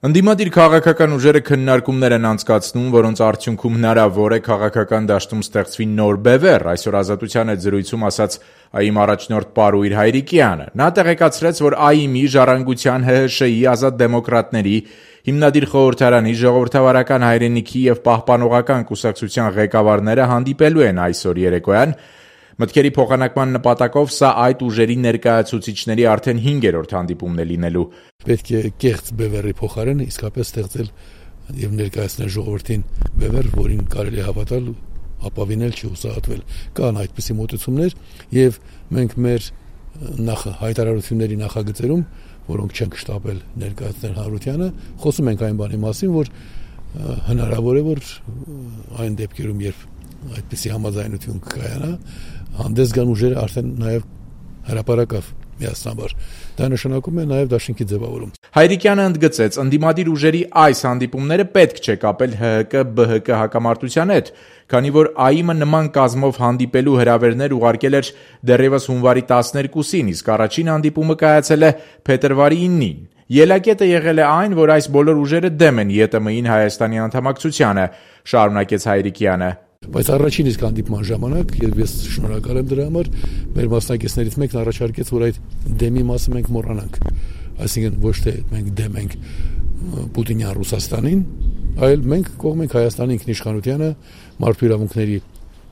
Ընդդիմադիր քաղաքական ուժերը քննարկումներ են անցկացնում, որոնց արդյունքում հնարավոր է քաղաքական դաշտում ստեղծվի նոր բևեռ, այսօր Ազատության հետ զրույցում ասաց ԱԻՄ առաջնորդ Պարույր Հայրիկյանը։ Նա տեղեկացրեց, որ ԱԻՄ-ի, Ժառանգության, ՀՀՇ-ի, Ազատ դեմոկրատների, Հիմնադիր խորհրդարանի, Ժողովրդավարական հայրենիքի և Պահպանողական կուսակցության ղեկավարները հանդիպելու են այսօր երեկոյան։ Մտքերի փոխանակման նպատակով սա այդ ուժերի ներկայացուցիչների արդեն 5-րդ հանդիպումն է լինելու։ Պետք է կեղծ բևեռի փոխարեն իսկապես ստեղծել եւ ներկայացնել ժողովրդին բևեռ, որին կարելի է հավատալ, ապավինել, չհուսահատվել։ Կան այդպիսի մոտեցումներ եւ մենք մեր հայտարարությունների նախագծերում, որոնք չենք շտապել ներկայացնել հանրությանը, խոսում ենք այն բանի մասին, որ հնարավոր է, որ այն դեպքերում, երբ այդպիսի համաձայնություն կկայանա, հանդես գան ուժերը արդեն նաև հրապարակավ միասնաբար։ Դա նշանակում է նաև դաշինքի ձևավորում։ Հայրիկյանը ընդգծեց, ընդդիմադիր ուժերի այս հանդիպումները պետք չէ կապել ՀՀԿ-ԲՀԿ հակամարտության հետ, քանի որ ԱԻՄ-ը նման կազմով հանդիպելու հրավերներ ուղարկել էր դեռևս հունվարի 12-ին, իսկ առաջին հանդիպումը կայացել է փետրվարի 9-ին։ Ելակետը եղել է այն, որ այս բոլոր ուժերը դեմ են ԵՏՄ-ին Հայաստանի անդամակցությանը, շարունակեց Հայրիկյանը։ Բայց առաջին իսկ հանդիպման ժամանակ, եւ ես շնորհակալ եմ դրա համար, մեր մասնակիցներից մեկն առաջարկեց, որ այդ դեմի մասը մենք մոռանանք։ Այսինքն ոչ թե մենք դեմ ենք Պուտինյան Ռուսաստանին, այլ մենք կողմ ենք Հայաստանի ինքնիշխանությանը, մարդու իրավունքների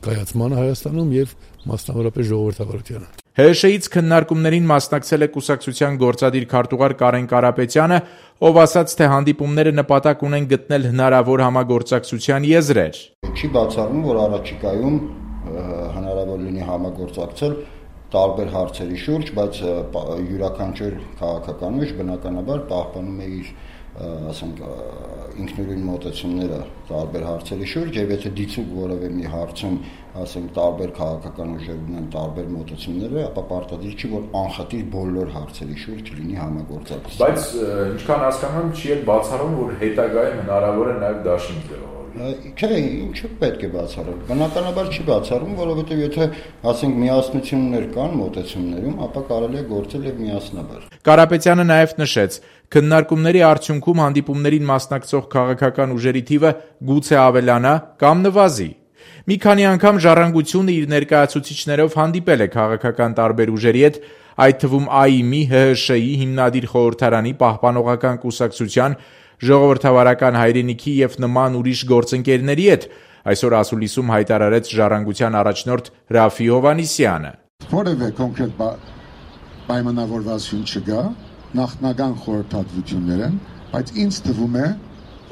կայացմանը Հայաստանում եւ մասնավորապես ժողովրդավարությանը։ ՀՀՇ-ից քննարկումներին մասնակցել է կուսակցության գործադիր քարտուղար Կարեն Կարապետյանը, ով ասաց, թե հանդիպումները նպատակ ունեն գտնել հնարավոր համագործակցության եզրեր։ Չի բացառվում, որ առաջիկայում հնարավոր լինի համագործակցել տարբեր հարցերի շուրջ, բայց յուրաքանչյուր քաղաքական ուժ բնականաբար պահպանում է իր ասենք ինքնուրույն մոտեցումները տարբեր հարցերի շուրջ, եւ եթե դիցուկ որևէ մի հարցում ասենք տարբեր քաղաքական ուժեր ունեն տարբեր մոտեցումները, ապա պարտադիր չի, որ անխտիր բոլոր հարցերի շուրջ լինի համագործակցություն։ Բայց ինչքան հասկանում եմ, չի էլ բացառում, որ հետագայում հնարավոր է նաեւ դաշինք ձևավորել։ Չէ, ինչու պետք է բացառել։ Բնականաբար չի բացառում, որովհետեւ եթե ասենք միասնություններ կան մոտեցումներում, ապա կարելի է գործել եւ միասնաբար։ Կարապետյանը նաեւ նշեց, քննարկումների արդյունքում հանդիպումներին մասնակցող քաղաքական ուժերի թիվը գուցե ավելանա կամ նվազի։ Մի քանի անգամ Ժառանգությունը իր ներկայացուցիչներով հանդիպել է քաղաքական տարբեր ուժերի հետ, այդ թվում ԱԻՄ-ի, ՀՀՇ-ի, Հիմնադիր խորհրդարանի, Պահպանողական կուսակցության, Ժողովրդավարական հայրենիքի եւ նման ուրիշ գործընկերների հետ, այսօր ասուլիսում հայտարարեց Ժառանգության առաջնորդ Ռաֆի Հովհաննիսյանը։ Որևէ կոնկրետ պայմանավորվածություն չկա, նախնական խորհրդատվություններ են, բայց ինձ թվում է,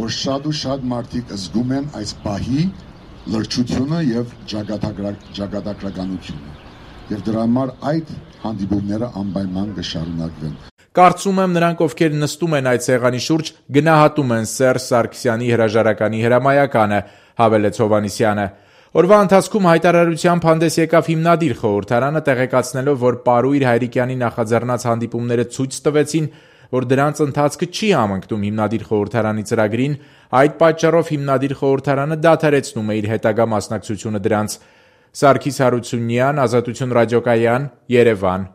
որ շատ մարդիկ զգում են այս պահի լրջությունը եւ ճակատագրականությունը։ Եվ դրա համար այդ հանդիպումները անպայման կշարունակվեն։ Կարծում եմ, նրանք, ովքեր նստում են այդ սեղանի շուրջ, գնահատում են Սերժ Սարգսյանի հրաժարականի հրամայականը, հավելեց Հովհաննիսյանը։ Օրվա ընթացքում հայտարարությամբ հանդես եկավ Հիմնադիր խորհրդարանը, տեղեկացնելով, որ Պարույր Հայրիկյանի նախաձեռնած հանդիպումները ցույց տվեցին, որ դրանց ընթացքը չի համընկնում Հիմնադիր խորհրդարանի ծրագրին, այդ պատճառով Հիմնադիր խորհրդարանը դադարեցնում է իր հետագա մասնակցությունը դրանց։ Սարգիս Հարությունյան, Ազատություն ռադիոկայան, Երևան։